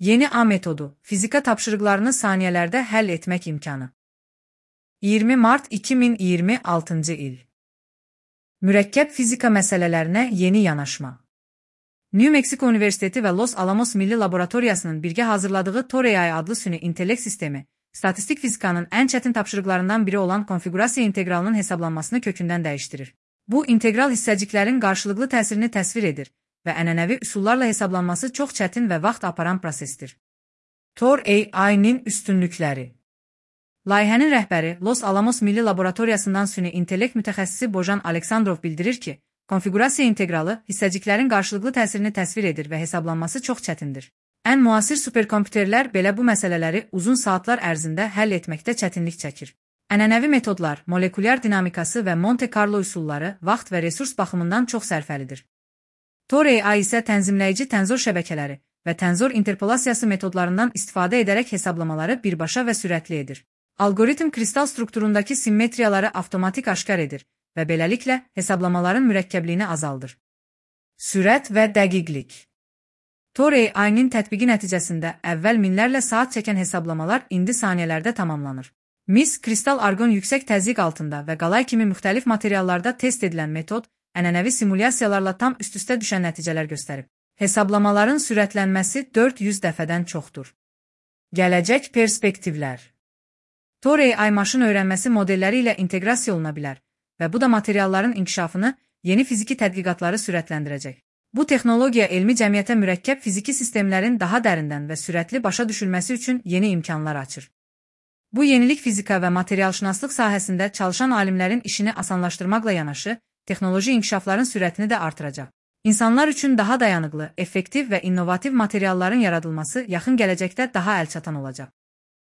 Yeni A metodu, fizika tapşırıqlarını saniyələrdə həll etmək imkanı. 20 mart 2026 il. Mürəkkəb fizika məsələlərinə yeni yanaşma. New Mexico Universiteti və Los Alamos Milli Laboratoriyasının birgə hazırladığı Tor-AI adlı süni intellekt sistemi, statistik fizikanın ən çətin tapşırıqlarından biri olan konfigurasiya inteqralının hesablanmasını kökündən dəyişdirir. Bu, integral hissəciklərin qarşılıqlı təsirini təsvir edir və ənənəvi üsullarla hesablanması çox çətin və vaxt aparan prosesdir. Tor-AI-nin üstünlükləri. Layihənin rəhbəri Los Alamos Milli Laboratoriyasından süni intellekt mütəxəssisi Bojan Aleksandrov bildirir ki, konfigurasiya inteqralı hissəciklərin qarşılıqlı təsirini təsvir edir və hesablanması çox çətindir. Ən müasir superkompüterlər belə bu məsələləri uzun saatlar ərzində həll etməkdə çətinlik çəkir. Ənənəvi metodlar, molekulyar dinamikası və Monte Carlo üsulları vaxt və resurs baxımından çox sərfəlidir. Tor-AI isə tənzimləyici tənzor şəbəkələri və tənzor interpolasiyası metodlarından istifadə edərək hesablamaları birbaşa və sürətli edir. Algoritm kristal strukturundakı simmetriyaları avtomatik aşkar edir və beləliklə hesablamaların mürəkkəbliyini azaldır. Sürət və dəqiqlik. Tor-AI-nin tətbiqi nəticəsində əvvəl minlərlə saat çəkən hesablamalar indi saniyələrdə tamamlanır. Mis, kristal arqon yüksək təzyiq altında və qalay kimi müxtəlif materiallarda test edilən metod, ənənəvi simulyasiyalarla tam üst-üstə düşən nəticələr göstərib. Hesablamaların sürətlənməsi 400 dəfədən çoxdur. Gələcək perspektivlər. Tor-AI maşın öyrənməsi modelləri ilə inteqrasiya oluna bilər və bu da materialların inkişafını, yeni fiziki tədqiqatları sürətləndirəcək. Bu texnologiya elmi cəmiyyətə mürəkkəb fiziki sistemlərin daha dərindən və sürətli başa düşülməsi üçün yeni imkanlar açır. Bu yenilik fizika və materialşünaslıq sahəsində çalışan alimlərin işini asanlaşdırmaqla yanaşı, texnoloji inkişafların sürətini də artıracaq. İnsanlar üçün daha dayanıqlı, effektiv və innovativ materialların yaradılması yaxın gələcəkdə daha əlçatan olacaq.